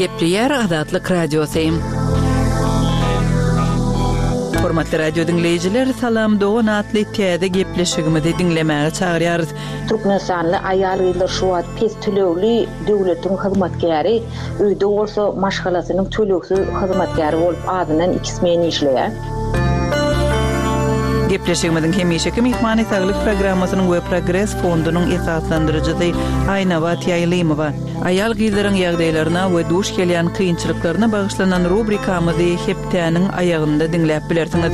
Gepleýär Azatlyk Radiosy. Hormatly radio diňleýjiler, Salam dogan atly täze gepleşigimizi diňlemäge çagyrýarys. Türkmenistanly aýal-gyzlar şu wagt pes tölegli döwletiň hyzmatkäri, öýde bolsa maşgalasynyň tölegsiz hyzmatkäri bolup azyndan iki smen işleýär. Gepleşigimiziň hemişeki myhmany Saglyk programmasynyň we Progres fondunyň esaslandyryjysy Aýnabat Ýaýlymowa. Aýal-gyzlaryň ýagdaýlaryna we duş gelýän kynçylyklaryna bagyşlanan rubrikamyzy hepdäniň aýagynda diňläp bilersiňiz.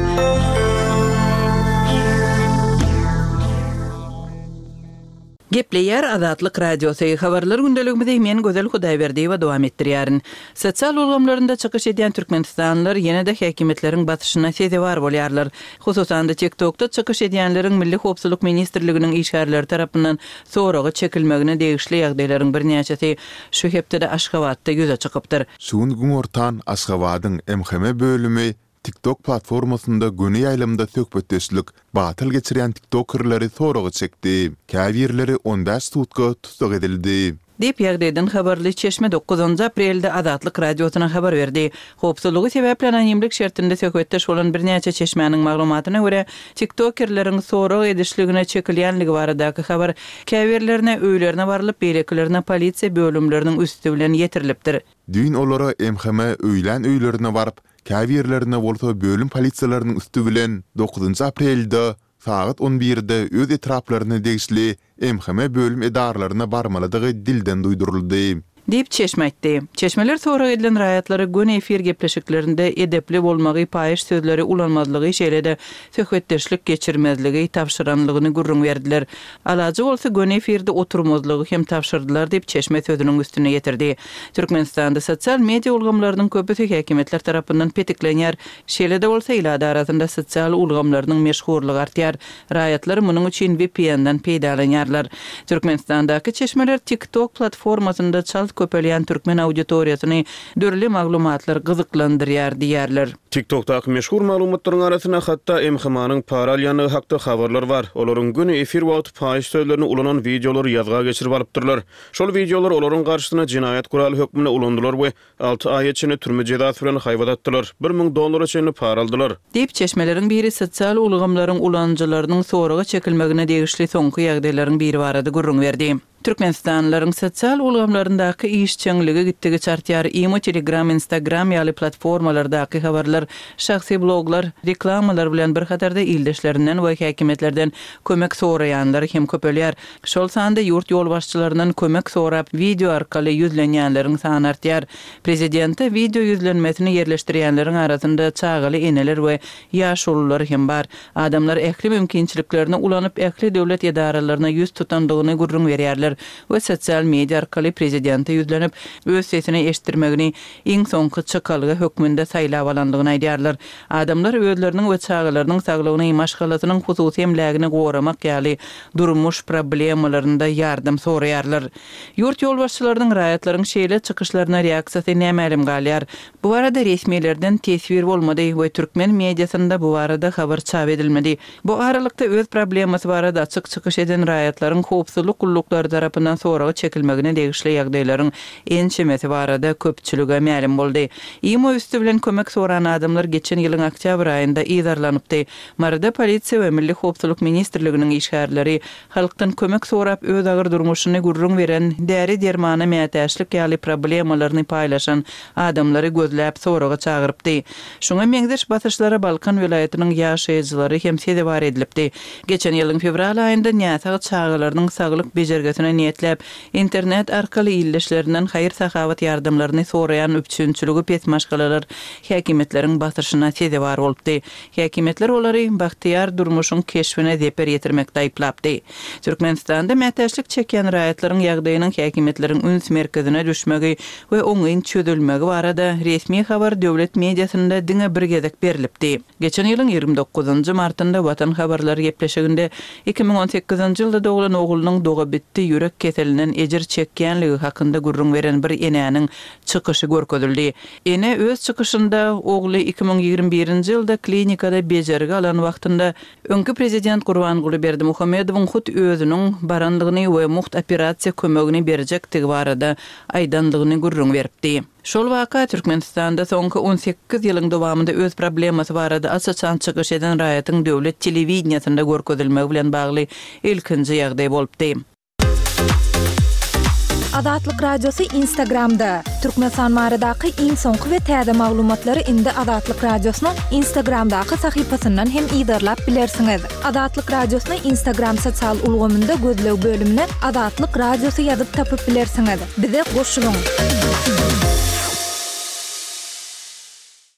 Gepleýär Azatlyk Radiosy, Habarlar gündeligimizi men Gözel Hudaýberdiýewa dowam etdirýärin. Sosial ulgamlarynda çykyş edýän türkmenistanlylar ýene-de häkimiýetleriň basyşyna sezewar bolýarlar. Hususan-da, TikTokda çykyş edýänleriň Milli howpsuzlyk ministrliginiň işgärleri tarapyndan soraga çekilmegine degişli ýagdaýlaryň birnäçesi şu hepdede Aşgabatda ýüze çykypdyr. Şu gün günortan Aşgabadyň MHM bölümi TikTok platformasynda göni ýaýlymda söhbetdeşlik batyl geçirýän tiktokerleri soraga çekdi. Käbirleri on bäş sutka tussag edildi. Diýip, ýagdaýdan habarly çeşme dokuzynjy aprelde Azatlyk Radiosyna habar berdi. Howpsuzlygy sebäpli anonimlik şertinde söhbetdeş bolan birnäçe çeşmäniň maglumatyna görä, tiktokerleriň sorag edişligine çekilýänligi baradaky habar käbirlerine öýlerine barlyp, beýlekilerine polisiýa bölümleriniň üsti bilen ýetirilipdir. Düýn olara MHM öýlän öýlerine baryp, käbirlerine bolsa bölüm polisiýalarynyň üsti bilen dokuzynjy aprelde sagat on birde öz etraplaryna degişli MHM bölüm edaralaryna barmalydygy dilden duýduryldy. Diýip, çeşme aýtdy. Çeşmeler sorag edilen raýatlara göni efir gepleşiklerinde edepli bolmagy, paýyş sözleri ulanmazlygy, şeýle-de söhbetdeşlik geçirmezligi tabşyranlygyny gürrüň berdiler. Alajy bolsa göni efirde oturmazlygy hem tabşyrdylar diýip, çeşme sözüniň üstüni ýetirdi. Türkmenistanda sosial media ulgamlarynyň köpüsi häkimiýetler tarapyndan petiklenýär. Şeýle-de bolsa, ilat arasynda sosial ulgamlarynyň meşhurlygy artýar. Raýatlar munuň üçin VPN-den peýdalanýarlar. Türkmenistandaky çeşmeler TikTok platformasynda çalt köpelýän türkmen auditoriýasyny dürli maglumatlar gyzyklandyrýar diýýärler. TikTok-daky meşhur maglumatlaryň arasynda hatda MHM-nyň para alýandygy hakda habarlar bar. Olaryň göni efir wagty paýyş sözlerini ulanan wideolary ýazga geçirip alypdyrlar. Şol wideolar olaryň garşysyna jenaýat guraly hökmünde ulanylar we alty aýa çenli türme jezasy bilen haýbat atdylar, 1000 dollara çenli para aldylar. Diýip, çeşmeleriň biri sosial ulgamlaryň ulanyjylarynyň soraga çekilmegine degişli soňky ýagdaýlaryň biri barada gürrüň berdi. Türkmenistanlylaryň sosial ulgamlaryndaky işjeňligi gitdigiçe artýar. Imo, Telegram, Instagram ýaly platformalardaky habarlar, şahsy bloglar, reklamalar bilen bir hatarda ildeşlerinden we häkimiýetlerden kömek soraýanlar hem köpelýär. Şol sanda ýurt ýolbaşçylaryndan kömek sorap wideo arkaly ýüzlenýänleriň sany artýar. Prezidente wideo ýüzlenmesini ýerleşdirýänleriň arasynda çagaly eneler we ýaşulular hem bar. Adamlar ähli mümkinçiliklerini ulanyp ähli döwlet edaralaryna ýüz tutandygyny gürrüň berýärler we sosial media arkaly prezidente ýüzlenip, öz sesini eşitdirmegini iň soňky çykalga hökmünde saýlap alandygyny aýdýarlar. Adamlar özleriniň we çagalarynyň saglygyny, maşgalasynyň hususy emlägini goramak ýaly durmuş problemalarynda ýardam soraýarlar. Ýurt ýolbaşçylarynyň raýatlaryň şeýle çykyşlaryna reaksiýasy nämälim galýar. Bu barada resmilerden teswir bolmady we türkmen mediasynda bu barada habar çap edilmedi. Bu aralykda öz problemasy barada açyk çykyş eden raýatlaryň howpsuzlyk gulluklary tarapyndan soraga çekilmegine degişli ýagdaýlaryň ençemesi barada köpçülige mälim boldy. Imo üsti bilen kömek soran adamlar geçen ýylyň oktýabr aýynda yzarlanypdy. Maryda polisiýa we Milli howpsuzlyk ministrliginiň işgärleri halkdan kömek sorap öz agyr durmuşyny gürrüň beren, däri-dermana mätäçlik ýaly problemalaryny paýlaşan adamlary gözläp soraga çagyrypdy. Şuňa meňzeş basyşlara Balkan welaýatynyň ýaşaýjylary hem sezewar edilipdi. Geçen ýylyň fewral aýynda näsag çagalarynyň saglyk bejergisine niýetläp, internet arkaly ildeşlerinden haýyr-sahawat ýardamlaryny soraýan üpjünçiligi pes maşgalalar häkimiýetleriň basyşyna sezewar bolupdy. Häkimiýetler olary bagtyýar durmuşyň keşbine zeper ýetirmekde aýyplapdy. Türkmenistanda mätäçlik çekýän raýatlaryň ýagdaýynyň häkimiýetleriň üns merkezine düşmegi we oňyn çözülmegi barada resmi habar döwlet mediasynda diňe bir gezek berlipdi. Geçen ýylyň 29 martynda Watan habarlary gepleşiginde 2018 ýylda doglan oglunyň dogabitdi. ýürek keselinden ejir çekýänligi hakynda gürrüň beren bir enäniň çykyşy görkezildi. Ene öz çykyşynda ogly 2021-nji ýylda klinikada bejergi alan wagtynda öňki prezident Gurbanguly Berdimuhamedowyň hut özüniň barandygyny we mugt operasiýa kömegini berjekdigi barada aýdandygyny gürrüň beripdi. Şol waka Türkmenistanda soňky 18 ýylyň dowamynda öz problemasy barada aç-açan çykyş eden raýatyň döwlet telewideniýesinde görkezilmegi bilen bagly ilkinji ýagdaý bolupdy. Azatlyk Radiosy Instagramda, Türkmenistan baradaky iň soňky we täze maglumatlary indi Azatlyk Radiosynyň Instagramdaky sahypasyndan hem yzarlap bilersiňiz. Azatlyk Radiosyny Instagram sosial ulgamynda gözleg bölümine Azatlyk Radiosy ýazyp tapyp bilersiňiz. Bize goşulyň!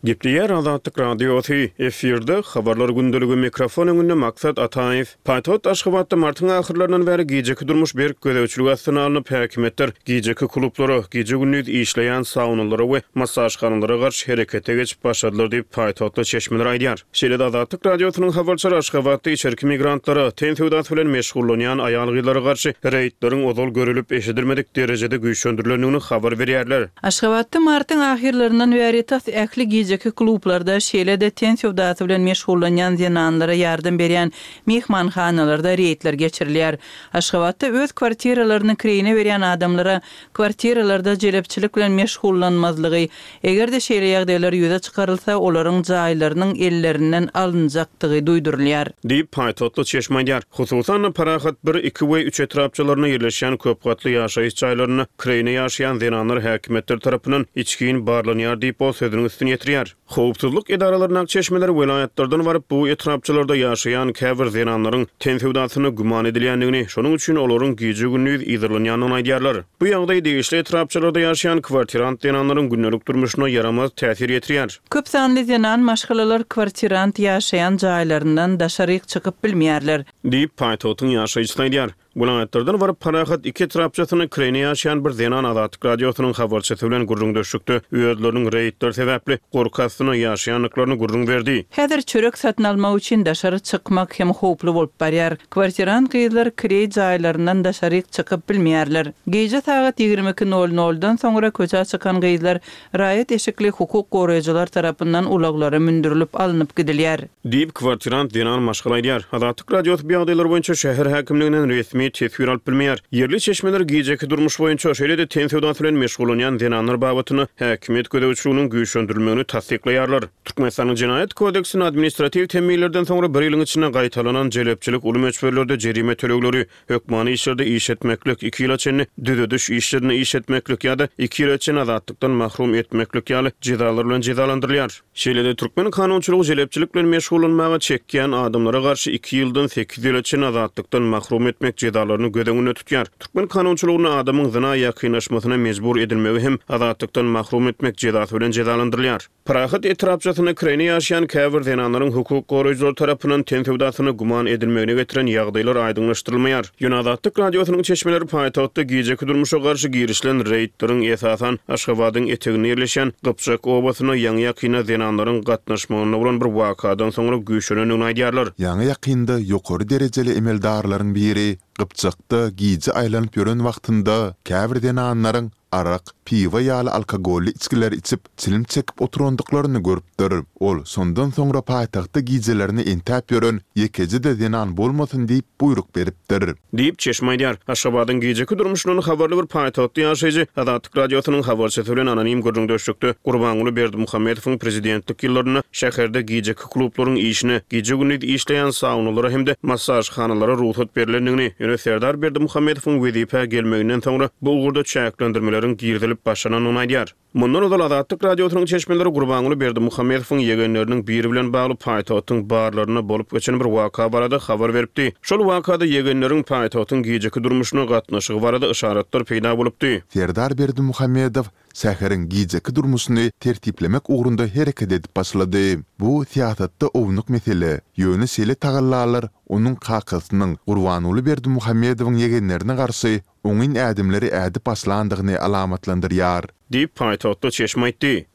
Gepleýär Azatlyk Radiosy, efirde, Habarlar gündeligi, mikrofon öňünde Maksat Ataýew. Paýtagt Aşgabatda martyň ahyrlaryndan bäri gijeki durmuş berk gözegçilik astyna alnyp, häkimiýetler gijeki klublara, gije-gündiz işleýän saunalara we massažhanalara garşy herekete geçip başladylar diýip, paýtagtly çeşmeler aýdýar. Şeýle-de Azatlyk Radiosynyň habarçylary Aşgabatda içerki migrantlara, ten söwdasy bilen meşgullanýan aýal-gyzlara garşy reýdleriň ozal görülip-eşidilmedik derejede güýçlendirilendigini habar berýärler. Aşgabatda martyň ahyrlaryndan bäri tas ähli gijeki klublarda, şeýle-de ten söwdasy bilen meşgullanýan zenanlara ýardam berýän myhmanhanalarda reýdler geçirilýär. Aşgabatda öz kwartiralaryny kireýine berýän adamlara kwartiralarda jelepçilik bilen meşgullanmazlygy, eger-de şeýle ýagdaýlar ýüze çykarylsa, olaryň jaýlarynyň ellerinden alynjakdygy duýdurylýar. Diýip, paýtagtly çeşme aýdýar. Hususan-da, Parahat bir, iki we üç etrapçalarynda ýerleşýän köp gatly ýaşaýyş jaýlarynda kireýine ýaşaýan zenanlar häkimiýetler tarapyndan içgin barlanýar diýip, ol sözüniň üstüni ýetirýär. Howpsuzlyk edaralaryndaky çeşmeler welaýatlardan baryp, bu etrapçalarda ýaşaýan käbir zenanlaryň ten söwdasynda güman edilýändigini, şonuň üçin olaryň gije-gündiz yzarlanýandygyny aýdýarlar. Bu ýagdaý degişli etrapçalarda ýaşaýan kwartirant zenanlaryň gündelik durmuşyna ýaramaz täsir ýetirýär. Köp sanly zenan maşgalalar kwartirant ýaşaýan jaýlaryndan daşaryk çykyp bilmeýärler. Diýip, paýtagtyň ýaşaýjysy aýdýar. Welaýatlardan baryp, Parahat iki etrapçasynda kireýine ýaşaýan bir zenan Azatlyk Radiosynyň habarçysy bilen gürrüňdeşlikde özleriniň reýdler sebäpli gorky astynda ýaşaýandyklaryny gürrüň berdi. Häzir çörek satyn almak üçin daşary çykmak hem howply bolup barýar. Kwartirant gyzlar kireý jaýlaryndan daşaryk çykyp bilmeýärler. Gije sagat 22 nol noldan soňra köçä çykan gyzlar raýat eşikli hukuk goraýjylar tarapyndan ulaglara mündürilip alnyp gidilýär. Diýip, kwartirant zenan maşgala aýdýar. Azatlyk Radiosy bu ýagdaýlar boýunça şäher häkimliginden resmi teswir alyp bilmeýär. Ýerli çeşmeler gijeki durmuş boýunça, şeýle-de ten söwdasy bilen meşgullanýan zenanlar babatynda häkimiýet gözegçiliginiň güýçlendirilmegini tassyklaýarlar. Türkmenistanyň Jenaýat kodeksinde administratiw temmilerden soňra bir ýylyň içinde gaýtalanan jelepçilik uly möçberlerde jerime tölegleri, hökmany işlerde iş etmeklik, iki ýyla çenli düzediş işlerinde iş etmeklik ýa-da iki ýyla çenli azatlykdan mahrum etmeklik ýaly jezalar bilen jezalandyrylýar. Şeýle-de türkmen kanunçylygy jelepçilik bilen meşgullanmaga çekýän adamlara garşy iki ýyldan sekiz ýyla çenli azatlykdan mahrum etmek jezalaryny göz öňünde tutýar. Türkmen kanunçylygynda adamyň zyna ýakynlaşmasyna mejbur edilmegi hem azatlykdan mahrum etmek jezasy bilen jezalandyrylýar. Parahat etrapçasynda kireýne ýaşaýan käbir zenanlaryň hukuk goraýjylar tarapyndan ten söwdasyna güman edilmegine getiren ýagdaýlar aýdyňlaşdyrylmaýar. Ýöne Azatlyk Radiosynyň çeşmeleri paýtagtda gijeki durmuşa garşy girişilen reýdleriň esasan Aşgabadyň eteginde ýerleşýän Gypjak obasynda ýaňy-ýakynda zenanlaryň gatnaşmagynda bolan bir wakadan soňra güýçlenendigini aýdýarlar. Ýaňy-ýakynda ýokary derejeli emeldarlaryň biri Gypjakda gije aýlanyp ýören wagtynda käbir zenanlaryň arak, piwo ýaly alkogolly içgileri içip, çilim çekip oturandyklaryny görüpdir. Ol şondan soňra paýtagtda gijelerine entäp ýören ýekeje-de zenan bolmasyn diýip buýruk beripdir. Diýip, çeşme aýdýar. Aşgabadyň gijeki durmuşyndan habarly bir paýtagtly ýaşaýjy Azatlyk Radiosynyň habarçysy bilen anonim gürrüňdeşlikde Gurbanguly Berdimuhamedowyň prezidentlik ýyllarynda şäherde gijeki klublaryň işine, gije-gündiz işleýän saunalara hem-de massažhanalara rugsat berlendigini, ýöne Serdar Berdimuhamedowyň wezipä gelmeginden soňra bu ugurda çäklendirmeleriň girizilip başlanandygyny aýdýar. Mundan ozal Azatlyk Radiosynyň çeşmeleri Gurbanguly Berdimuhamedowyň ýegenleriniň biri bilen bagly paýtagtyň barlarynda bolup geçen bir waka barada habar beripdi. Şol wakada ýegenleriň paýtagtyň gijeki durmuşyna gatnaşygy barada yşaratlar peýda bolupdy. Serdar Berdimuhamedow şäheriň gijeki durmuşyny tertiplemek ugrunda hereket edip başlady. Bu syýasatda ownuk mesele, ýöne şeýle tagallalar onuň kakasynyň, Gurbanguly Berdimuhamedowyň ýegenlerine garşy oňyn ädimleri ädip başlandygyny alamatlandyrýar. Diýip, paýtagtly çeşme aýtdy.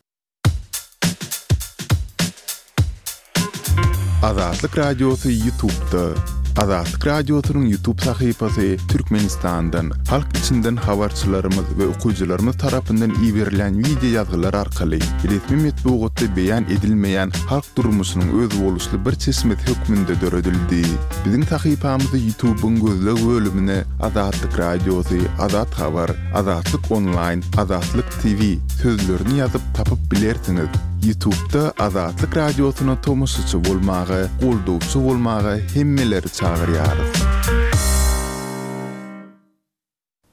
Azatlyk Radiosy YouTube'da. Azatlyk Radiosynyň YouTube sahypasy Türkmenistandan, halk içinden habarçylarymyz we okyjylarymyz tarapyndan iberilýän wideo ýazgylar arkaly resmi metbugatda beýan edilmeýän halk durmuşynyň özboluşly bir çeşmesi hökmünde döredildi. Biziň sahypamyzy YouTube-yň gözleg bölümine Azatlyk Radiosy, Azat Habar, Azatlyk Onlaýn, Azatlyk TV sözlerini ýazyp tapyp bilersiňiz. Ýutubda Azatlyk Radiosyna tomaşaçy bolmaga, goldawçy bolmaga hemmeleri çagyrýarys.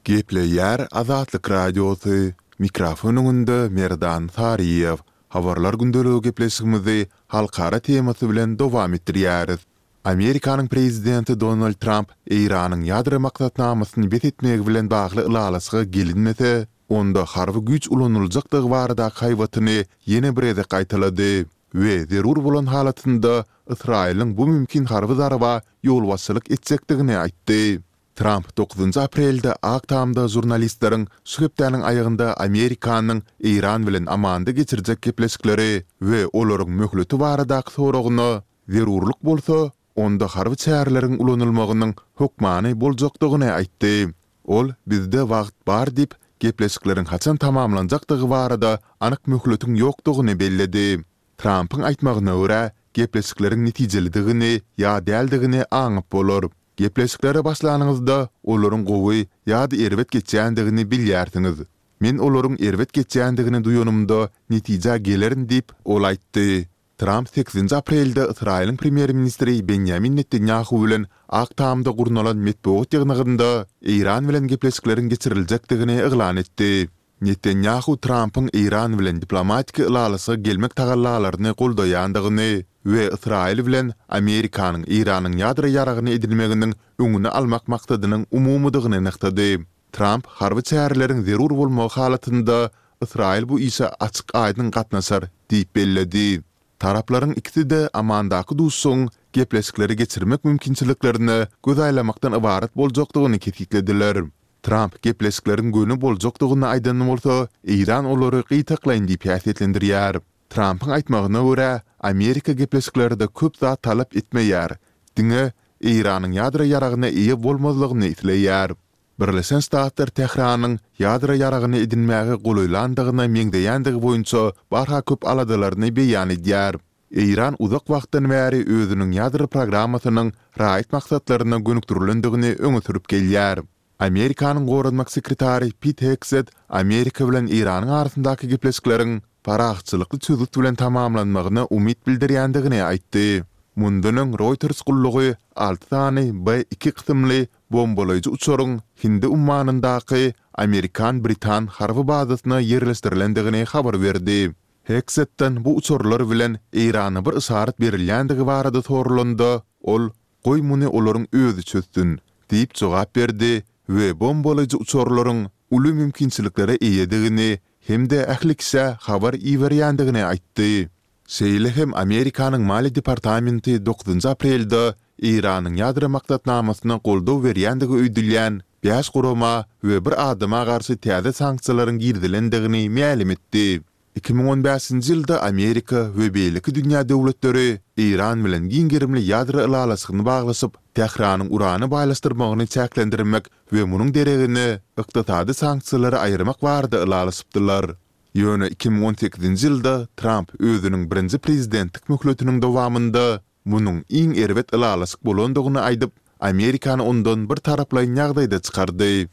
Gepleýär Azatlyk Radiosy, mikrofon öňünde Merdan Saryýew. Habarlar gündeligi gepleşigimizi halkara temasy bilen dowam etdirýäris. Amerikanyň prezidenti Donald Tramp Eýranyň ýadro maksatnamasyny bes etmegi bilen bagly ylalaşyga gelinmese, onda harby güýç ulanyljakdygy baradaky haýbatyny ýene bir gezek gaýtalady we zerur bolan halatynda Ysraýylyň bu mümkin harby zarba ýolbaşçylyk etjekdigini aýtdy. Tramp dokuzynjy aprelde Ak Tamda žurnalistleriň şu hepdäniň aýagynda Amerikanyň Eýran bilen Amanda geçirjek gepleşikleri we olaryň möhleti baradaky soragyna Zerurlyk bolsa, onda harby çäreleriň ulanylmagynyň hökmany boljakdygyny aýtdy. Ol bizde wagt bar diýip, gepleşikleriň haçan tamamlanjakdygy barada anyk möhletiň ýokdugyny belledi. Trampyň aýtmagyna görä, gepleşikleriň netijelidigini ýa däldigini aňyp bolar. Gepleşiklere başlanyňyzda, olaryň gowy ýa-da erbet geçýändigini bilýärsiňiz. Men olaryň erbet geçýändigini duýanymda, netijä gelerin diýip, ol aýtdy. Tramp sekizinji aprelde Ysraýylyň premýer-ministri Benýamin Netanýahu bilen Ak Tamda gurnalan metbugat ýygnagynda Eýran bilen gepleşikleriň geçiriljekdigini yglan etdi. Netanýahu Trampyň Eýran bilen diplomatik ylalaşyga gelmek tagallalaryny goldaýandygyny we Ysraýyl bilen Amerikanyň Eýranyň ýadro ýaragyny edinmeginiň öňüni almak maksadynyň umumydygyny nygtady. Tramp harby çäreleriň zerur bolmagy halatynda Ysraýyl bu işe açyk-aýdyň gatnaşar diýip belledi. Taraplaryň ikisi-de Amandaky duşuşygyň gepleşikleri geçirmek mümkinçiliklerine göz aýlamakdan ybarat boljakdygyny kesgitlediler. Tramp gepleşikleriň göni boljakdygyny aýdan bolsa, Eýran olary gytaklaýyn diýip häsiýetlendirýär. Trampyň aýtmagyna görä, Amerika gepleşiklerde köp zat talap etmeýär, diňe Eýranyň ýadro ýaragyna eýe bolmazlygyny isleýär. Birleşen Ştatlar Tähranyň ýadro ýaragyny edinmäge golaýlandygyna meňzeýändigi boýunça barha köp aladalaryny beýan edýär. Eýran uzak wagtdan bäri özüniň ýadro programmasynyň raýat maksatlaryna gönükdirilendigini öňe sürüp gelýär. Amerikanyň goranmak sekretary Pit Hegset Amerika bilen Eýranyň arasyndaky gepleşikleriň parahatçylykly çözgüt bilen tamamlanmagyna umyt bildirýändigini aýtdy. Mundan öň Reuters gullugy alty sany B-iki kysymly bombalaýjy uçaryň Hindi ummanyndaky amerikan-britan harby bazasyna ýerleşdirilendigini habar berdi. Hegsetden bu uçarlar bilen Eýrana bir yşarat berilýändigi barada soralanda, ol, Goý muny olaryň özi çözsün, diýip jogap berdi we bombalaýjy uçarlaryň uly mümkinçiliklere eýedigini hem-de ähli kişä habar iberýändigini aýtdy. Şeýle hem Amerikanyň Maliýe departamenti dokuzynjy aprelde Eýranyň ýadro maksatnamasyna goldaw berýändigi öýdülýän bäş gurama we bir adama garşy täze sanksiýalaryň girizilendigini mälim etdi. 2015-nji ýylda Amerika we beýleki dünýä döwletleri Eýran bilen giň gerimli ýadro ylalaşygyny baglaşyp, Tähranyň urany baýlaşdyrmagyny çäklendirmek we munuň deregine ykdysady sanksiýalary aýyrmak barada ylalaşypdylar. Ýöne 2018-nji ýylda Tramp özüniň birinji prezidentlik möhletiniň dowamynda munuň iň erbet ylalaşyk bolandygyny aýdyp, Amerikany ondan bir taraplaýyn ýagdaýda çykardy.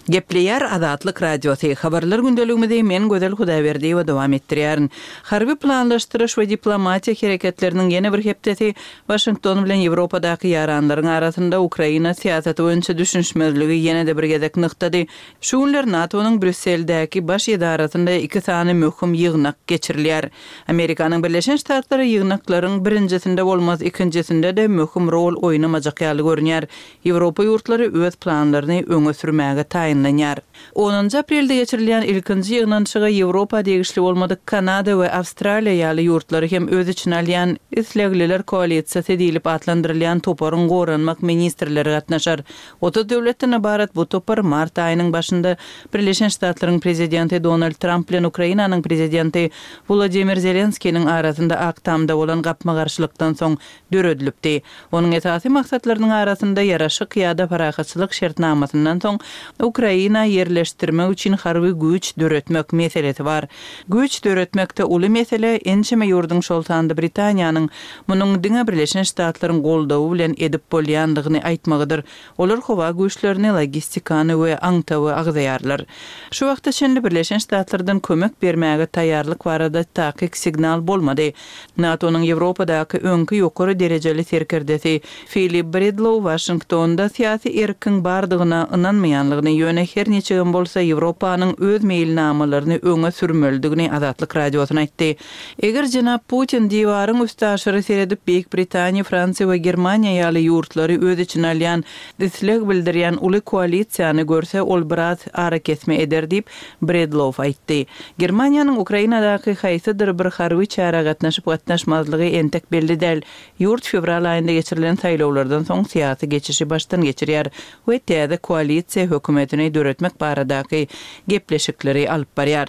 Gepleýär Azatlyk Radiosy, Habarlar gündeligimizi men Gözel Hudaýberdiýewa dowam etdirýärin. Harby planlaşdyryş we diplomatiýa hereketleriniň ýene bir hepdesi Waşington bilen Ýewropadaky ýaranlaryň arasynda Ukraina syýasaty boýunça düşünişmezligi ýene-de bir gezek nygtady. Şu günler NATO-nyň Brýusseldäki baş edarasynda iki sany möhüm ýygnak geçirilýär. Amerikanyň Birleşen Ştatlary ýygnaklaryň birinjisinde bolmaz, ikinjisinde-de möhüm rol oýnamajak ýaly görünýär. Ýewropa ýurtlary öz planlaryny öňe sürmäge taýyn. taýynlanýar. Onunjy aprelde geçirilýän ilkinji ýygnanyşyga Ýewropa degişli bolmadyk Kanada we Awstraliýa ýaly ýurtlary hem öz içine alýan Islegliler koalisiýasy diýlip atlandyrylýan toparyň goranmak ministrleri gatnaşar. 30 döwletden ybarat bu topar mart aýynyň başynda Birleşen Ştatlaryň Prezidenti Donald Tramp bilen Ukrainanyň Prezidenti Wolodymyr Zelenskiniň arasynda Ak Tamda bolan gapma-garşylykdan soň döredilipdi. Onuň esasy maksatlarynyň arasynda ýaraşyk ýa-da parahatçylyk şertnamasyndan soň Ukraina ýerleşdirmek üçin harby güýç döretmek meselesi bar. Güýç döretmekde uly mesele ençeme ýurduň şol sanda Britaniýanyň munuň diňe Birleşen Ştatlaryň goldawy bilen edip bolýandygyny aýtmagydyr. Olar howa güýçlerini, logistikany we aňtawy agzaýarlar. Şu wagta çenli Birleşen Ştatlardan kömek bermäge taýýarlyk barada takyk signal bolmady. NATO-nyň Ýewropadaky öňki ýokary derejeli serkerdesi Filip Bredlow Waşingtonda syýasy erkiň bardygyna ynanmaýanlygyny, ýöne her niçigem bolsa Ýewropanyň öz meýilnamalaryny öňe sürmelidigini Azatlyk Radiosyna aýtdy. Eger jenap Putin diwaryň üstaşyry seredip Beýik Britaniýa, Fransiýa we Germaniýa ýaly ýurtlary öz içine alýan isleg bildirýän uly koalisiýany görse, ol biraz arakesme eder diýip, Bredlow aýtdy. Germaniýanyň Ukrainadaky haýsydyr bir harby çärä gatnaşyp-gatnaşmazlygy entek belli däl. Ýurt fewral aýynda geçirilen saýlawlardan soň syýasy geçişi başdan geçirýär we täze koalisiýa hökümetini döretmek baradaky gepleşikleri alyp barýar.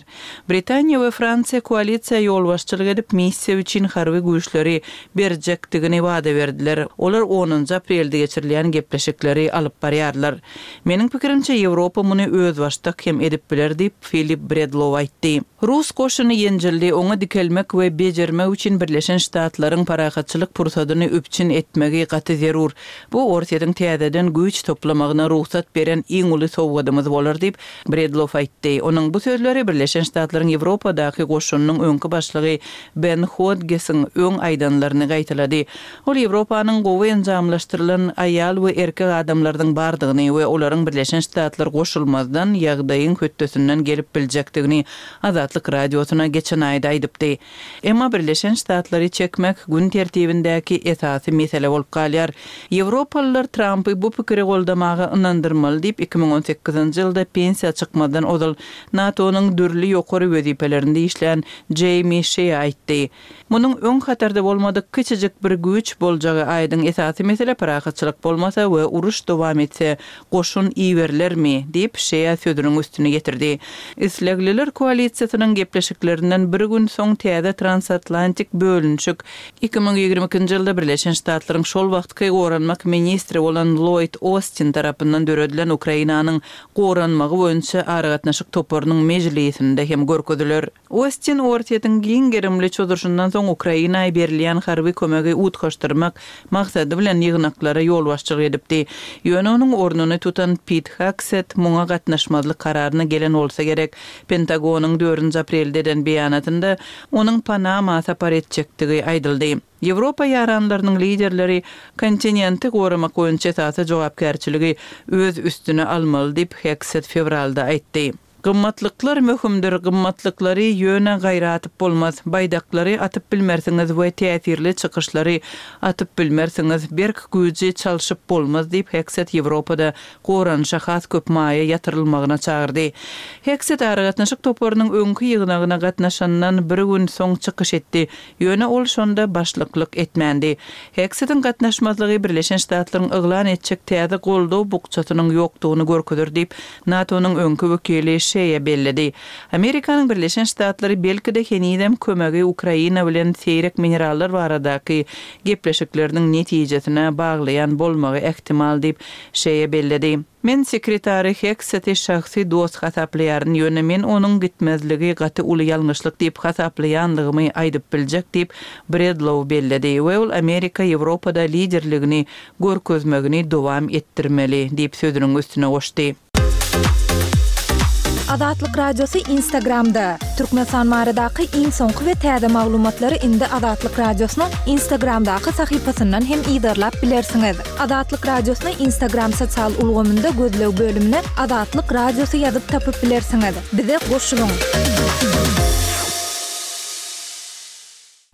Britaniýa we Fransiýa koalisiýa ýolbaşçylyk edip, missiýa üçin harby güýçleri berjekdigini wada berdiler. Olar onunjy aprelde geçirilýän gepleşikleri alyp barýarlar. Meniň pikirimçe, Ýewropa muny özbaşdak hem edip biler diýip, Filip Bredlow aýtdy. Rus goşuny ýenjildi, oňa dikelmek we bejermek üçin Birleşen Ştatlaryň parahatçylyk pursadyny üpjün etmegi gaty zerur. Bu Orsýetiň täzeden güýç toplamagyna rugsat beren iň uly sowgadymyz bolar diýip, Bredlow aýtdy. Onuň bu sözleri Birleşen Ştatlaryň Ýewropadaky goşunynyň öňki başlygy Ben Hodgesiň öň aýdanlaryny gaýtalady. Ol Ýewropanyň gowy enjamlaşdyrylan aýal we erkek adamlarynyň bardygyny we olaryň Birleşen Ştatlar goşulmazdan ýagdaýyň hötdesinden gelip biljekdigini Azatlyk Radiosyna geçen aýda aýdypdy. Emma Birleşen Ştatlary çekmek gün tertibindäki esasy mesele bolup galýar. Ýewropalylar Trampy bu pikiri goldamaga ynandyrmaly diýip, 2018-nji ýylda pensiýa çykmazdan ozal NATO-nyň dürli ýokary wezipelerinde işlän Jeými Şea aýtdy. Munuň öň hatarda bolmadyk kiçijik bir güýç boljagy aýdyň. Esasy mesele parahatçylyk bolmasa we uruş dowam etse, goşun iberilermi? diýip, Şea sözüniň üstüni ýetirdi. Islegliler koalisiýasynyň gepleşiklerinden bir gün soň täze transatlantik bölünişik 2022-nji ýylda Birleşen Ştatlaryň şol wagtky goranmak ministri bolan Lloýd Ostin tarapyndan döredilen Ukrainanyň goranmagy boýunça aragatnaşyk toparynyň mejlisinde hem görkeziler. Ostin Orsýetiň giň gerimli çozuşyndan soň Ukraina berilýän harby kömegi utgaşdyrmak maksady bilen ýygnaklara ýolbaşçylyk edipdi. Ýöne onuň ornuny tutan Pit Hagset muňa gatnaşmazlyk kararyna gelen bolsa gerek. Pentagonyň dördünji aprelde eden beýanatynda onuň Panama sapar etjekdigi aýdyldy. Ýewropa ýaranlarynyň liderleri kontinenti goramak boýunça esasy jogapkärçiligi öz üstüne almaly diýip, Hegset fewralda aýtdy. Gymmatlyklar möhümdir, gymmatlyklary ýöne gaýra atyp bolmaz. Baýdaklary atyp bilmersiňiz we täsirli çykyşlary atyp bilmersiňiz, berk güýji çalşyp bolmaz diýip, Hegset Ýewropada goranyşa has köp maýa ýatyrylmagyna çagyrdy. Hegset aragatnaşyk toparynyň öňki ýygnagyna gatnaşandan bir gün soň çykyş etdi. Ýöne ol şonda başlyklyk etmändi. Hegsetiň gatnaşmazlygy Birleşen Ştatlaryň yglan etjek täze goldaw bukjasynyň ýokdugyny görkezer diýip, NATO-nyň öňki wekili Şeýa belledi. Amerikanyň Birleşen Ştatlary belki-de henizem kömegi Ukraina bilen seýrek minerallar baradaky gepleşikleriniň netijesine baglaýan bolmagy ähtimal diýip, Şeýa belledi. Men sekretary Hegseti şahsy dost hasaplaýaryn, ýöne men onuň gitmezligi gaty uly ýalňyşlyk diýip hasaplaýanlygymy aýdyp biljek diýip, Bredlow belledi we ol Amerika Ýewropada liderligini görkezmegini dowam etdirmeli diýip sözüniň üstüne goşdy. Azatlyk Radiosy Instagramda, Türkmenistan baradaky iň soňky we täze maglumatlary indi Azatlyk Radiosynyň Instagramdaky sahypasyndan hem yzarlap bilersiňiz. Azatlyk Radiosyny Instagram sosial ulgamynda gözleg bölümine Azatlyk Radiosy ýazyp tapyp bilersiňiz. Bize goşulyň!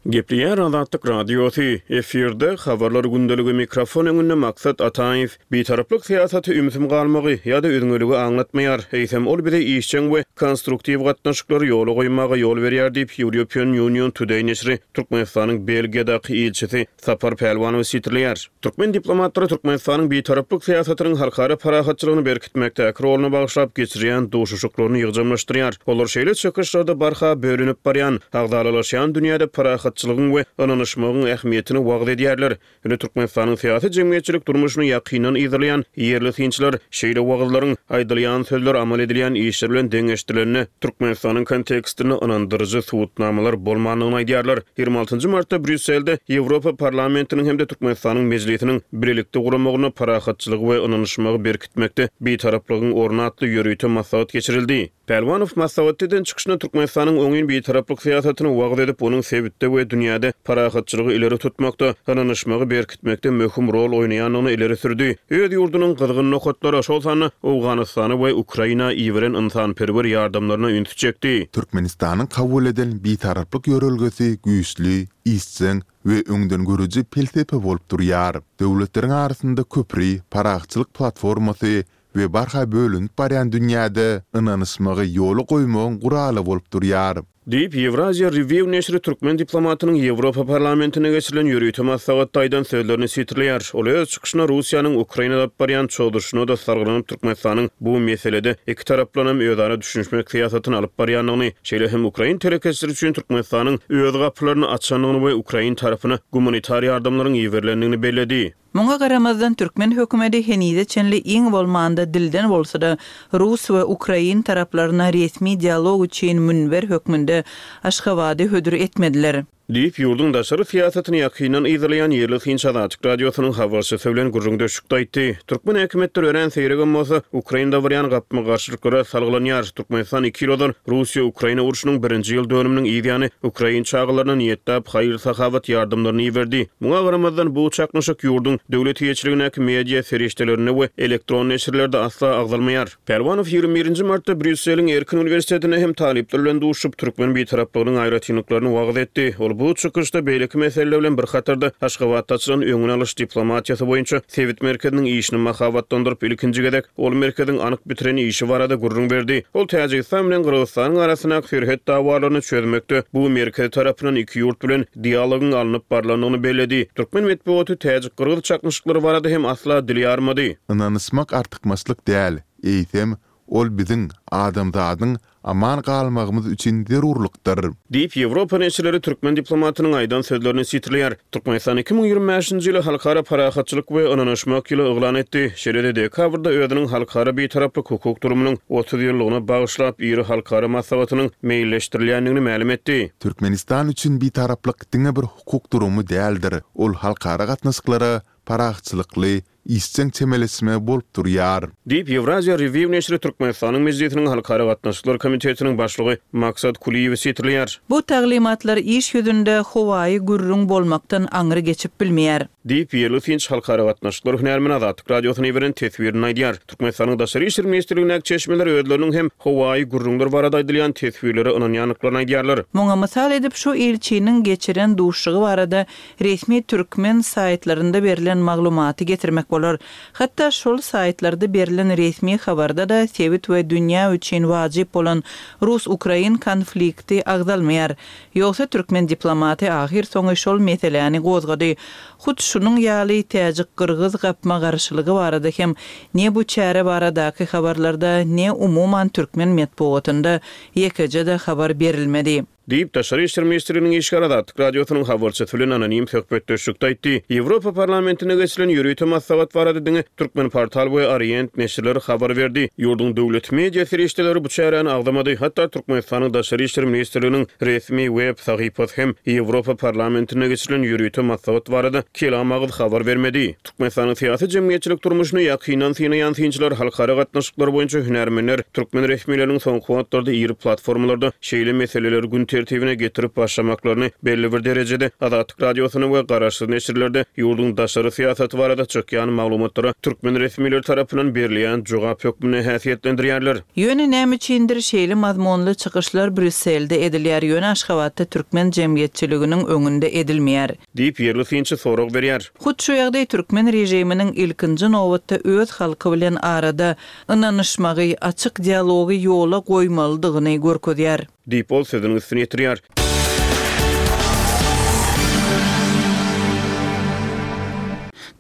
Gepleýär Azatlyk Radiosy, efirde, Habarlar gündeligi, mikrofon öňünde Maksat Ataýew. Bitaraplyk syýasaty ümsüm galmagy ýa-da üzňeligi aňlatmaýar, eýsem ol bize işjeň we konstruktiw gatnaşyklary ýola goýmaga ýol berýär diýip, European Union Today neşiri Türkmenistanyň Belgiýadaky ilçisi Sapar Pälwanowy sitirleýär. Türkmen diplomatlary Türkmenistanyň bitaraplyk syýasatynyň halkara parahatçylygyny berkitmekdäki roluna bagyşlap geçirýän duşuşyklaryny ýygjamlaşdyrýar. Olar şeýle çykyşlarda barha bölünip barýan, agzalalaşýan dünýäde parahatçylygyň we ynanyşmagyň ähmiýetini wagyz edýärler. Ýöne Türkmenistanyň syýasy-jemgyýetçilik durmuşyny ýakyndan yzarlaýan ýerli synçylar şeýle wagyzlaryň aýdylýan sözler amal edilýän işler bilen deňeşdirilende, Türkmenistanyň kontekstinde ynandyryjy subutnamalar bolmandygyny aýdýarlar. 26 martda Brýusselde Ýewropa Parlamentiniň hem-de Türkmenistanyň Mejlisiniň bilelikde guramagynda Parahatçylygy we ynanyşmagy berkitmekde Bitaraplygyň orny atly ýörite maslahat geçirildi. Pälwanow maslahatda eden çykyşynda Türkmenistanyň oňyn bitaraplyk syýasatyny wagyz edip, onuň sebitde we dünýäde parahatçylygy ileri tutmakda, ynanyşmagy berkitmekde möhüm rol oýnaýandygyny ileri sürdi. Öz ýurdunyň gyzgyn nokatlara, şol sanda Owganystana we Ukraina iberen ynsanperwer ýardamlaryna ünsi çekdi. Türkmenistanyň kabul eden Bitaraplyk ýörelgesi güýçli, işjeň we öňdengörüji pelsepe bolup durýar. Döwletleriň arasynda köpri, parahatçylyk platformasy we barha bölünip barýan dünýäde ynanyşmagy ýola goýmagyň guraly bolup durýar. Diýip, Ýewraziýa Review neşiri türkmen diplomatynyň Ýewropa Parlamentinde geçirilen ýörite maslahatda aýdan sözlerini sitirleýär. Ol öz çykyşynda Russiýanyň Ukrainada alyp barýan çozuşyna-da salgylanyp, Türkmenistanyň bu meselede ikitaraplaýyn hem özara düşünişmek syýasatyny alyp barýandygyny, şeýle hem ukrain telekeçileri üçin Türkmenistanyň öz gapylaryny açandygyny we ukrain tarapyna gumanitar ýardamlaryň iberilendigini belledi. Muňa garamazdan, türkmen hökümeti henize çenli iň bolmanda dilden bolsa-da rus we ukrain taraplaryna resmi dialog üçin münber hökmünde Aşgabady hödür etmediler. Diýip, ýurduň daşary syýasatyny ýakyndan yzarlaýan ýerli synçy Azatlyk Radiosynyň habarçysy bilen gürrüňdeşlikde aýtdy. Türkmen häkimiýetleri örän seýregem bolsa, Ukrainada barýan gapma-garşylyklara salgylanýar. Türkmenistan iki ýyl ozal Russiýa-Ukraina urşunyň birinji ýyl dönüminiň yz ýany ukrain çagalaryna niýetläp haýyr-sahawat ýardamlaryny iberdi. Muňa garamazdan, bu çaknyşyk ýurduň döwlet eýeçiligindäki media serişdelerinde we elektron neşirlerde asla agzalmaýar. Pälwanow 21 nji martda Brýusseliň Erkin uniwersitetinde hem talyplar bilen duşuşyp, türkmen bitaraplygynyň aýratynlyklaryny wagyz etdi. Ol bu çykyşda beýleki meseleler bilen bir hatarda Aşgabatda açylan öňüni alyş diplomatiýasy boýunça sebit merkeziniň işini mahabatlandyryp, ilkinji gezek ol merkeziň anyk bitiren işi barada gürrüň berdi. Ol Täjigistan bilen Gyrgyzystanyň arasyndaky serhet dawalaryny çözmekde bu merkez tarapyndan iki ýurt bilen dialogyň alnyp barlandygyny belledi. Türkmen metbugaty täjik-gyrgyz çaknyşyklary barada hem asla dil ýarmady. Ynanyşmak artykmaçlyk däl, eýsem, ol biziň, adamzadyň aman galmagymyz üçin zerurlykdyr. Diýip, Ýewropa neşirleri türkmen diplomatynyň aýdan sözlerini sitirleýär. Türkmenistan 2025-nji ýyly Halkara parahatçylyk we ynanyşmak ýyly yglan etdi. Şeýle-de dekabrda özüniň Halkara bitaraplyk hukuk durumynyň 30 ýyllygyna bagyşlap iri halkara maslahatynyň meýilleşdirilýändigini mälim etdi. Türkmenistan üçin bitaraplyk diňe bir hukuk durumy däldir, ol halkara gatnaşyklara parahatçylykly, işjeň çemeleşme bolup durýar. Diýip, Ýewraziýa Review neşiri Türkmenistanyň Mejlisiniň Halkara gatnaşyklar komitetiniň başlygy Maksat Kulyýewi sitirleýär. Bu taglymatlar iş ýüzünde howaýy gürrüň bolmakdan aňry geçip bilmeýär. Diýip, ýerli synçy halkara gatnaşyklar hünärmeni Azatlyk Radiosyna iberen teswirinde aýdýar. Türkmenistanyň Daşary işler ministrligindäki çeşmeler özleriniň hem howaýy gürrüňler barada aýdylýan teswirlere ynanýandyklaryny aýdýarlar. Muňa mysal edip şu ilçiniň geçiren duşuşygy barada resmi türkmen saýtlarynda berlen maglumaty getirmek bolar. Hatda şol saýtlarda berlen resmi habarda-da sebit we dünýä üçin wajyp bolan rus-ukrain konflikti agzalmaýar. Ýogsa türkmen diplomaty ahyrsoňy şol meseläni gozgady. Hut şunuň ýaly täjik-gyrgyz gapma-garşylygy barada hem ne bu çäre baradaky habarlarda, ne umuman türkmen metbugatynda ýekeje-de habar berilmedi. Diýip, Daşary işler ministrliginiň işgäri Azatlyk Radiosynyň habarçysy bilen anonim söhbetdeşlikde aýtdy. Ýewropa Parlamentinde geçirilen ýörite maslahat barada diňe Türkmenportal we Orient neşirleri habar berdi. Ýurduň döwlet media serişdeleri bu çäräni agzamady. Hatda Türkmenistanyň Daşary işler ministrliginiň resmi web sahypasy hem Ýewropa Parlamentinde geçirilen ýörite maslahat barada kelam agyz habar bermedi. Türkmenistanyň syýasy-jemgyýetçilik durmuşyny ýakyndan synaýan synçylar, halkara gatnaşyklary boýunça hünärmenler türkmen resmileriniň soňky wagtlarda iri platformalarda şeýle meseleleri gün. tertibine getirip başlamaklaryny belli bir derejede Azatlyk Radiosynda we garaşsyz neşirlerde ýurduň daşary syýasaty barada çykýan maglumatlara türkmen resmileri tarapyndan berilýän jogap hökmünde häsiýetlendirýärler. Ýöne näme üçindir şeýle mazmunly çykyşlar Brýusselde edilýär, ýöne Aşgabatda türkmen jemgyýetçiliginiň öňünde edilmeýär. Diýip, ýerli synçy sorag berýär. Hut şu ýagdaý türkmen režiminiň ilkinji nobatda öz halky bilen arada ynanyşmagy, açyk dialogy ýola goýmalydygyny görkezýär. Diýip, ol sözüniň üstüni ýetirýär.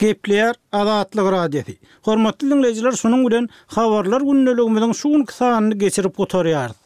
Gepleýär Azatlyk Radiosy. Hormatly diňleýjiler şunuň bilen Habarlar gündeligimiziň şu günki sanyny geçirip gutarýarys.